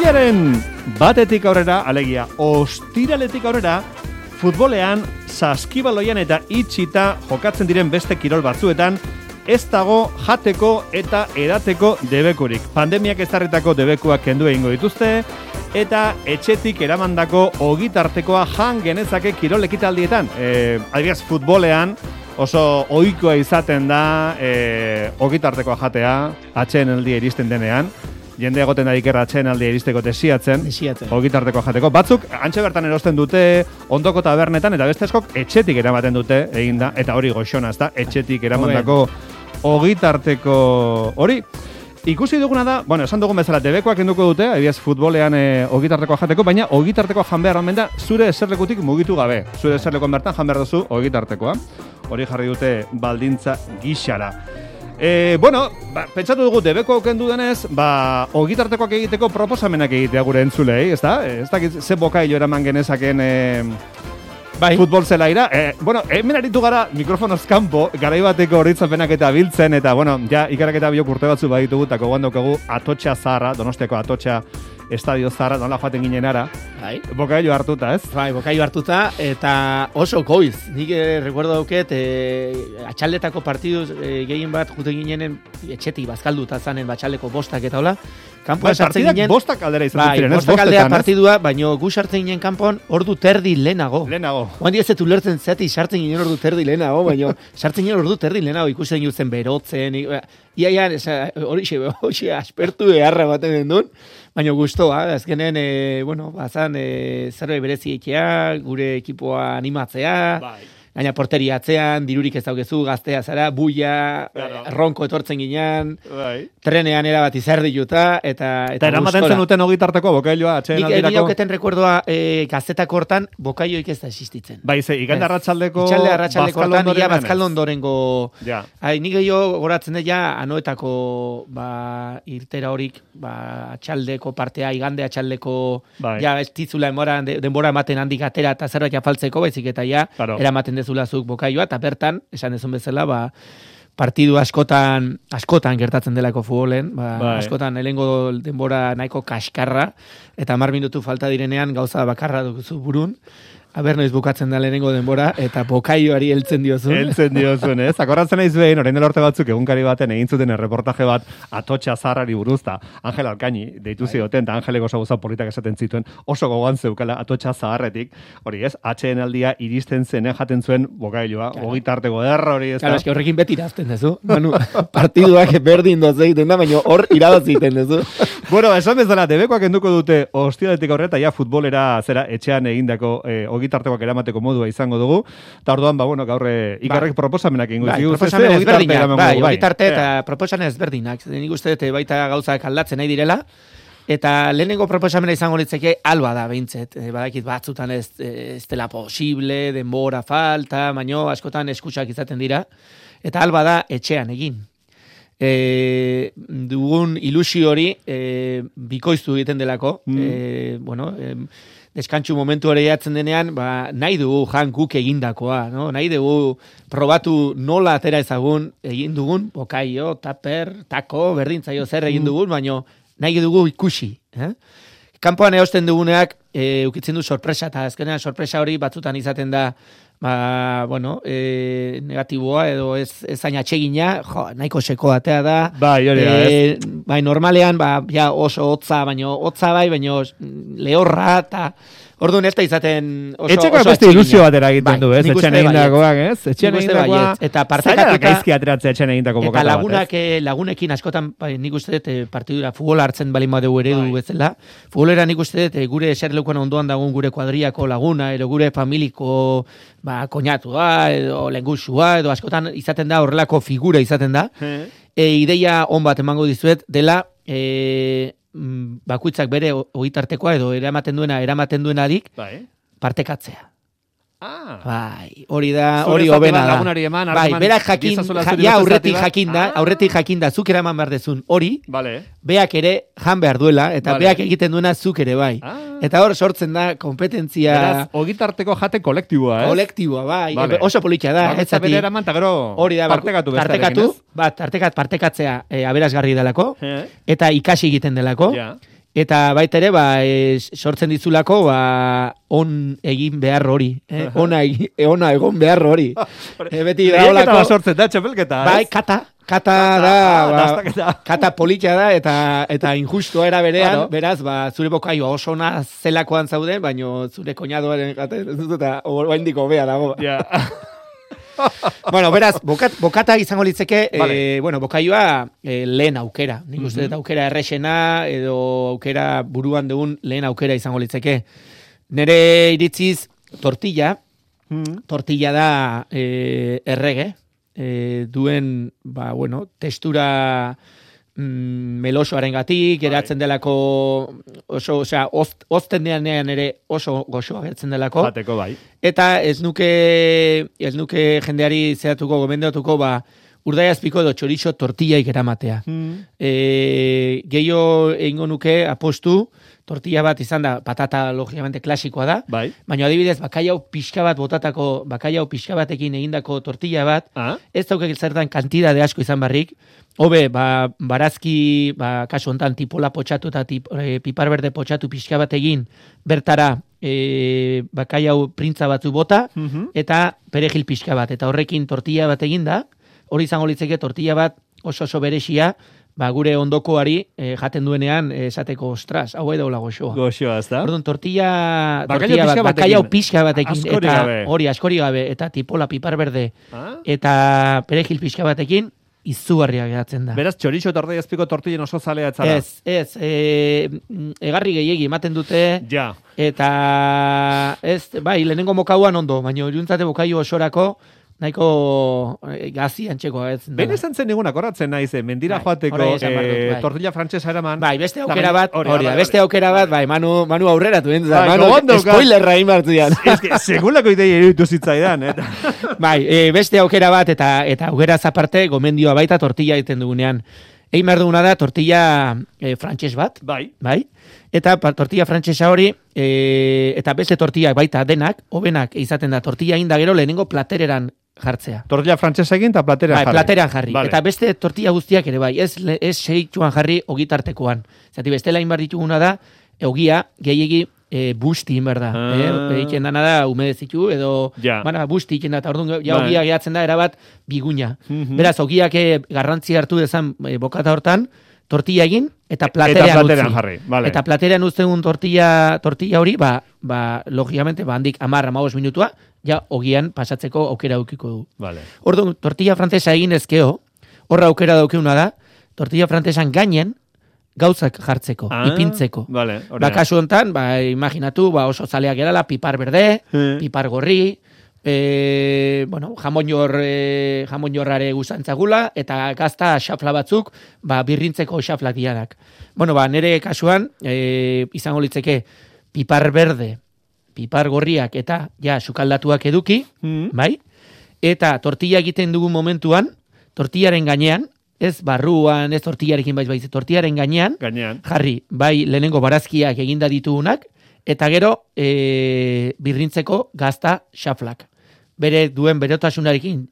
Otsailaren batetik aurrera, alegia, ostiraletik aurrera, futbolean, saskibaloian eta itxita jokatzen diren beste kirol batzuetan, ez dago jateko eta edateko debekurik. Pandemiak ezarritako debekuak kendu egingo dituzte, eta etxetik eramandako ogitartekoa jan genezake kirol ekitaldietan. Adibidez, futbolean oso ohikoa izaten da ogitartekoa jatea, atsedenaldia iristen denean. Jende egoten da ikerra atsedenaldia iristeko desiatzen. Ogitartekoa jateko. Batzuk, antxe bertan erosten dute ondoko tabernetan, eta beste askok etxetik eramaten dute, eginda, eta hori goxona, ez da, etxetik eramandako ogitarteko hori. Ikusi duguna da, bueno, esan dugun bezala, debekoak enduko dute, adibidez futbolean ogitartekoa jateko, baina ogitartekoa jan behar omen da zure eserlekutik mugitu gabe. Zure eserlekuan bertan jan behar duzu ogitartekoa. Hori jarri dute baldintza gixara. Bueno, pentsatu dugu debeko kendu denez, ogitartekoak egiteko proposamenak egitea gure entzulei, ez da? Ez dakit ze bokailo eraman genezaken futbol zelaira. Bueno, hemen aritu gara mikrofonoz kanpo, garaibateko horitzapenak eta biltzen, eta, bueno, ja, ikaraketa biok urte batzu baditugu, eta gogoan daukagu Atotxa Zaharra, Donostiako Atotxa Estadio Zaharra, nola joaten ginen ara. Bokailo hartuta, ez? Bai, bokailo hartuta, eta oso goiz. Nik recuerdo dauket, atxaldetako partiduz gehien bat juten ginenen etxetik bazkalduta zanen batxaldeko bostak eta hola. Kanpoan sartzen ginen. Bostak aldera izan ziren, ez? Bostak aldera partidua, baina gu sartzen ginen kanpoan ordu terdi lehenago. Oan ez ulertzen zati sartzen ginen ordu terdi lehenago, baina sartzen ginen ordu terdi lehenago, ikusten jutzen berotzen. Iaian, hori aspertu beharra baten den duen. Baina guztoa, azkenen, bueno, bazan zerbait berezi egitea, gure ekipoa animatzea, gaina porteria atzean, dirurik ez daukezu, gaztea zara, buia, ronko etortzen ginean, trenean erabat izerdiluta, eta eramaten zenuten ogitarteko bokailoa atxeen aldirako? Nik auketen rekordoa gazetako hortan bokaioik ez da existitzen. Bai, ze, igande arratsaldeko hortan, ia bazkaldo ondorengo. Nik gehiago goratzen dut ja, anoetako irtera horik, atxaldeko partea, igande atxaldeko, ja, ez tizula denbora ematen handik atera eta zerbait afaltzeko, baizik eta ja, eramaten dezulazuk bokaioa, eta bertan, esan dezun bezala, partidu askotan gertatzen delako futbolen, askotan helengo denbora nahiko kaskarra, eta 10 minutu falta direnean gauza bakarra duzu burun, aber noiz bukatzen da lehenengo denbora, eta bokaioari heltzen diozun. Heltzen diozun, ez? Akorratzen naiz behin, orain dela urte batzuk egunkari baten egin zuten erreportaje bat Atotxa Zaharrari buruzta. Angel Alkaini deitu zioten, eta Angelek oso gauza politak esaten zituen, oso gogoan zeukala Atotxa Zaharretik, hori ez, atsedenaldia iristen zenen jaten zuen bokailoa, ogitarteko derra hori ez da. Claro, eski horrekin beti irazten dezu. Manu, partiduak berdin doz egiten da, baina hor iradaz egiten dezu. Bueno, esan bezala, debekoak enduko dute ostiraletik aurrera, ja futbolera zera etxean egindako ogitartekoak eramateko modua izango dugu. Eta orduan, bueno, gaur ikarrek proposamenak ingo digu. Proposamen ezberdinak, ogitarte eta proposamen ezberdinak. Nik uste dut baita gauzak aldatzen nahi direla. Eta lehenengo proposamena izango litzeke alba da, behintzet. Badakit batzutan ez dela posible, denbora falta, baino askotan eskutsak izaten dira. Eta alba da etxean egin. Dugun ilusio hori bikoiztu egiten delako. Bueno, deskantxu momentu hori jatzen denean, nahi dugu jan guk egindakoa, no? Nahi dugu probatu nola atera ezagun egin dugun, bokaio, taper, tako, berdintzaio zer egin dugun, baina nahi dugu ikusi. Kanpoan eosten duguneak ukitzen du sorpresa, eta azkenean sorpresa hori batzutan izaten da bueno, negatiboa edo ez zain atsegina, nahiko seko atea da. Bai, normalean, ja oso hotza, baino lehorra, eta orduan ez da izaten oso etxeko beste ilusio batera egiten du, ez? Etxean egindakoak, ez? Etxean egindakoak, eta partekatuta gaizki ateratzea etxean egindako bokata bat, ez? Lagunekin askotan, nik uste dut partidura futbola hartzen balin badeu eredu bezala. Futbolera nik uste dut gure eserleukoan ondoan dagoen gure kuadriako laguna, edo gure familiko koñatua, edo lengusua, edo askotan izaten da horrelako figura izaten da. Ideia on bat emango dizuet dela bakuitzak bere ogitartekoa edo eramaten duenarik partekatzea. Bai, hori da, hori hobena da. Bai, berak jakin, aurretik jakin da, zuk eraman behar dezun hori, beak ere jan behar duela, eta beak egiten duena zuk ere bai. Eta hor sortzen da kompetentzia... Beraz, ogitarteko jate kolektiboa, ez? Kolektiboa, bai, oso politia da. Bere eraman, eta gero partekatu bestarekin, ez? Partekatzea aberasgarri delako, eta ikasi egiten delako, Eta baita ere, sortzen dizulako, on egin behar hori. Ona egon behar hori. Beti da olako. Sortzen da, txapelketa, ez? Bai, kata da, kata politxa da, eta injustua era berean, beraz, zure bokaio oso ona zelakoan zauden, baino zure koñadoaren jaten, eta oraindik hobea dago. Ja. Bueno, beraz, bokata izango litzeke, bokaioa lehen aukera. Nik uste dut aukera errexena, edo aukera buruan dugun lehen aukera izango litzeke. Nere iritziz, tortilla da errege, duen, testura melosoaren gatik, geratzen delako oso, ozten deanean ere oso goxoa gertzen delako. Jateko bai. Eta ez nuke jendeari zehatuko, gomendatuko, urdaiazpiko edo txorizo tortillaik eramatea. Gehiago egingo nuke apostu, tortilla bat izan da, patata logikamente klasikoa da, baina adibidez, bakaiau pixka batekin egindako tortilla bat, ez daukek zertan kantidade asko izan barrik, hobe, barazki, kasu hontan, tipola potxatu eta pipar berde potxatu pixka bat egin, bertara, bakaiau printza batzu bota, eta perejil pixka bat, eta horrekin tortilla bat egin da, hori izango litzeke tortilla bat oso berexia, gure ondokoari jaten duenean esateko, ostras, hau edo la goxoa. Goxoa, ez da? Orduan, tortilla bat, bakaiau pixka batekin, askori gabe, eta tipola pipar berde, eta perejil pixka batekin, izugarria geratzen da. Beraz, txorizo eta urdaiazpiko tortillen oso zalea etzara? Ez, egarri gehiegi ematen dute, eta lehenengo mokauan ondo, baina juntzate bokaio osorako, nahiko gazi antxekoa ez. Bene esan zen nigunak horratzen naiz, mendira joateko tortilla frantsesa eraman. Beste aukera bat, Manu aurrera duen, Manu spoilerra inbartzian. Segulako idei eruditu zitzaidan. Beste aukera bat, eta aukeraz aparte, gomendioa baita tortilla egiten dugunean. Egin behar duguna da, tortilla frantses bat. Bai. Eta tortilla frantsesa hori, eta beste tortillak baita denak, hobenak izaten da, tortilla egin da gero lehenengo platereran jartzea. Tortilla frantsesa egin eta platerean jarri. Platerean jarri. Vale. Eta beste tortilla guztiak ere bai, ez segituan jarri ogitartekoan. Zati bestela inbar dituguna da, ogia gehiegi busti inbar da. Egiten dana da, umedezitu, edo busti egiten da, eta orduan ogia gehatzen da, erabat biguña. Beraz, ogiak garrantzi hartu dezan bokata hortan, tortilla egin, eta platerean jarri. Vale. Eta platerean uztegun tortilla hori, logikamente, handik 10-15 minutua, ogian pasatzeko aukera aukiko du. Vale. Orduan, tortilla frantsesa egin ezkeo, horra aukera daukeuna da, tortilla frantsesan gainen, gauzak jartzeko, ipintzeko. Vale, kasu hontan, imaginatu, oso zaleak gerala, pipar berde, pipar gorri, jamonjorrare guzantzagula, eta gazta xafla batzuk, birrintzeko xaflak dianak. Nere kasuan, izango litzeke, pipar berde, pipar gorriak eta sukaldatuak eduki, bai? Eta tortilla egiten dugun momentuan, tortillaren gainean, ez barruan, ez tortillarekin tortillaren gainean, jarri, bai lehenengo barazkiak eginda ditugunak, eta gero birrintzeko gazta xaflak. Bere duen berotasunarekin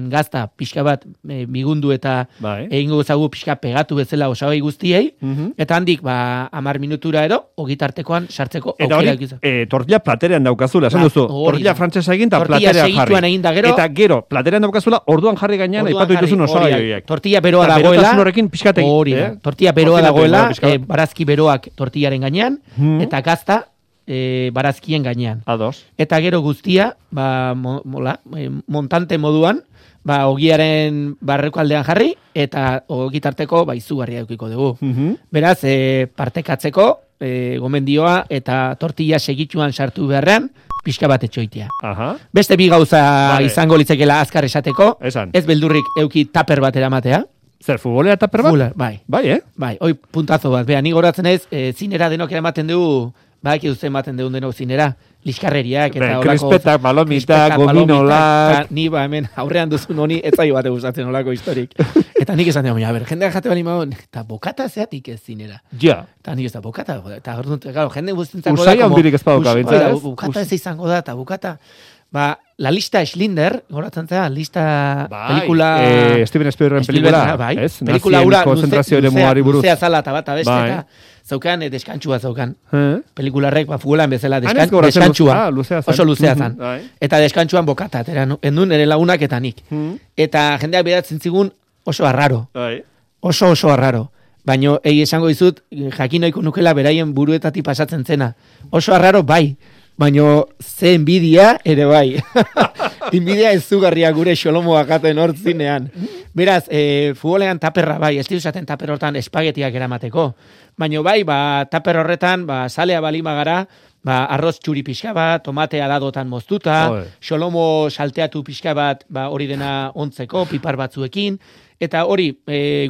gazta pixka bat migundu eta egingo zagu pixka pegatu bezala osagai guztiei, eta handik 10 minutura edo, ogitartekoan sartzeko aukera egizan. Eta hori, tortilla platerean daukazula, esan duzu, tortilla frantsesa egin eta platerean jarri. Eta gero, platerean daukazula, orduan jarri gainean, aipatu dituzun osagai horiek. Tortilla beroa dagoela, tortilla beroa dagoela, barazki beroak tortillaren gainean, eta gazta barazkien gainean. Ados. Eta gero guztia, montante moduan, ogiaren barreko aldean jarri, eta ogitarteko izugarria edukiko dugu. Beraz, partekatzeko, gomendioa eta tortilla segituan sartu beharrean, pixka bat etxoitea. Beste bi gauza izango litzekela azkar esateko, ez beldurrik euki taper bat eramatea. Zer, futbolera taper bat? Bai. Bai, hoi puntazo bat. Ni goratzen ez, zinera denok eramaten dugu, badaki duzen ematen deun denok zinera, liskarreriak eta olako... Krispetak, balomitak, gominolak... Ni hemen aurrean duzun honi, ez zaio bate gustatzen olako historik. Eta nik esan dugu, jendeak jate bali maun, eta bokata zeatik ez zinera. Ja. Eta nik ez da bokata, eta jende guztientzako da... Usai handirik ez padoka, bintzat. Bokata ez izango da, eta bokata... La lista Schindler, goratzen zera, lista Bai, pelikula... Steven Spielbergren pelikula, bai. ez? Pelikula Nazien ura konzentrazio ere muari buruz. luzea zala eta bat abeste, Bai. eta zaukan deskantsua zaukan. Pelikularrek, Futbolan bezala ez deskantsua. luzea zen. Oso luzea zen. Bai. Eta deskantsuan bokata, endun ere lagunak eta nik. Eta jendeak beratzen zigun oso arraro. Bai. Oso arraro. Baina esango dizut, jakinoiko nukela beraien buruetatik pasatzen zena. Oso arraro bai. Baina ze enbidia ere bai. Enbidia ezugarria gure xolomoa jaten hor zinean. Beraz, futbolean taperra bai, ez diusaten taper hortan espagetiak eramateko. Baina bai, taper horretan, salea balima gara, arroz txuri pixka bat, tomatea dadotan moztuta, xolomo salteatu pixka bat, hori dena ontzeko, pipar batzuekin, eta hori,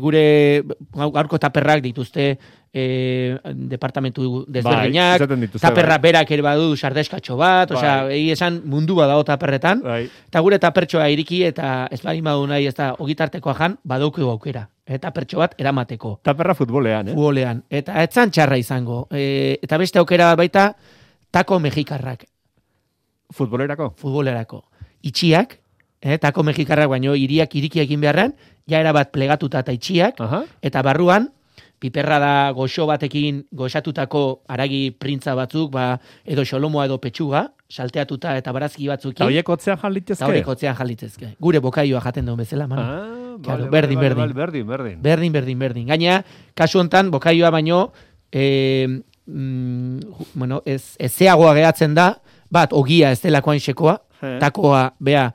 gure gaurko taperrak dituzte, departamentu desberdinak, taperra berak ere badu sardeskatxo bat, osea, esan mundua dago taperretan, eta gure tapertxoa iriki, eta ez bali madu nahi, ez da, ogitartekoa jan, badauko aukera. Eta pertxo bat eramateko. Taperra futbolean, Futbolean. Eta etzan txarra izango. Eta beste aukera baita, tako mexikarrak. Futbolerako. Itxiak, tako mexikarrak, baino iriak iriki egin beharren, ja erabat plegatuta eta itxiak, eta barruan, piperra da goxo batekin goxatutako aragi printza batzuk, edo xolomoa edo petxuga, salteatuta eta barazki batzukin. Ta horiek otzean jalitzezke. Gure bokaioa jaten duen bezala, manu. Claro, berdin. Berdin. Gaina, kasu hontan, bokaioa baino, ezeagoa gehatzen da, bat, ogia ez delakoan sekoa, takoa, bea,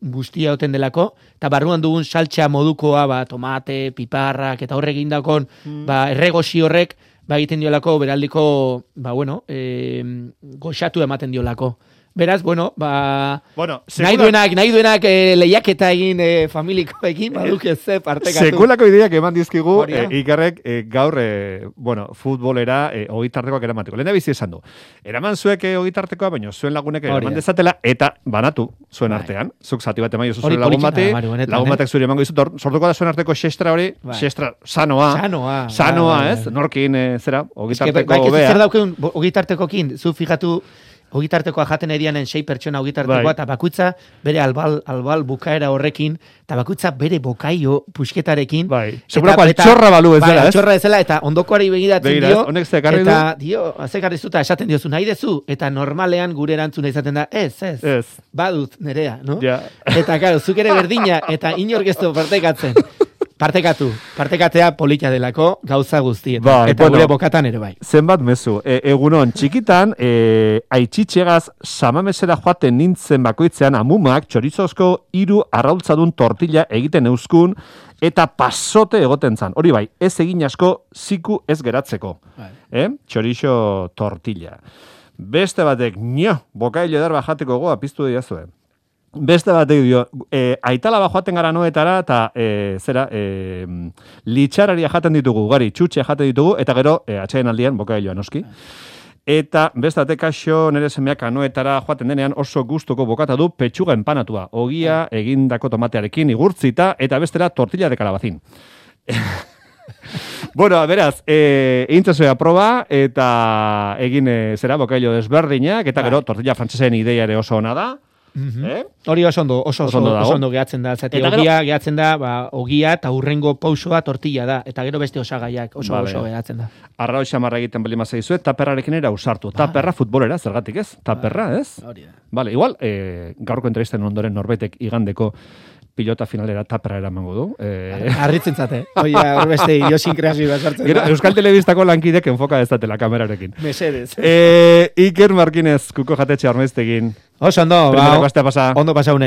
guztia oten delako, eta barruan dugun saltxa modukoa, tomate, piparrak, eta horrek indakon, erregosi horrek, egiten diolako, beraldiko, goxatu ematen diolako. Beraz, nahi duenak lehiaketa egin familikoekin, baduk ez partekatu. Sekulako ideak eman dizkigu, Ikerrek gaur, futbolera ogitartekoak eramateko. Lehen da bizi esan du. Eraman zuek ogitartekoa, baina zuen lagunek eraman dezatela, eta banatu zuen artean. Zuk zati bat emaio zuen lagun bati, lagun batek zuri emango izut, sortuko da zuen arteko xestra hori, xestra sanoa, ez? Norkin, zera, ogitarteko bea. Zer daukeun ogitartekokin, zu fijatu, ogitartekoa jaten edianen 6 pertsona ogitartekoa, eta bakuitza bere albal bukaera horrekin, eta bakuitza bere bokaio pusketarekin. Segurako altxorra balu ez dela, ez? Altxorra ez dela, eta ondokoari begiratzen dio, honek zekarri du? Eta zekarri zuta esaten diozu, nahi dezu, eta normalean gure erantzuna izaten da, ez, badut nerea, no? Eta, karo, zuk ere berdina, eta inorgestu partekatzen. Partekatzea polita delako gauza guztietan. Eta gure bokatan ere bai. Zenbat mezu. Egunon, txikitan, aitzitxegaz samamesera joaten nintzen bakoitzean amumak txorizozko 3 arraultzadun tortilla egiten euskun eta pasote egoten zan. Hori bai, ez egin asko ziku ez geratzeko. Txorizo tortilla. Beste batek, bokailo eder bajateko goa piztu diazue. Beste batek dio, aitalaba joaten gara noetara, eta litxararia jaten ditugu, gari, txutxe jaten ditugu, eta gero, atxaien aldian, bokailoa noski. Eta beste batek kaixo nire semeak anoetara joaten denean oso gustuko bokata du petxuga empanatua, ogia egindako tomatearekin igurtzita, eta bestera tortilla de kalabazin. Beraz, egintzazoea proba, eta egin bokailo desberdinak, eta gero tortilla frantsesen ideia ere oso ona da. Hori oso ondo gehatzen da, ogia gehatzen da, ogia eta hurrengo pausoa tortilla da, eta gero beste osagaiak oso gehatzen da. Arrao xamarra egiten bali mazaizu, taperrarekin era usartu. Taperra futbolera, zergatik ez? Taperra, ez? Vale, igual, gaurko entrevisten ondoren norbetek igandeko pilota finalera taperra eramango du. Arritzen zate. Hor beste idiosinkrazioa sartzen da. Euskal Telebistako lankidek enfoka dezatela kamerarekin. Mesedez. Iker Markinez, kuko jatetxe armaiztegin. Oso ondo, ondo pasaune.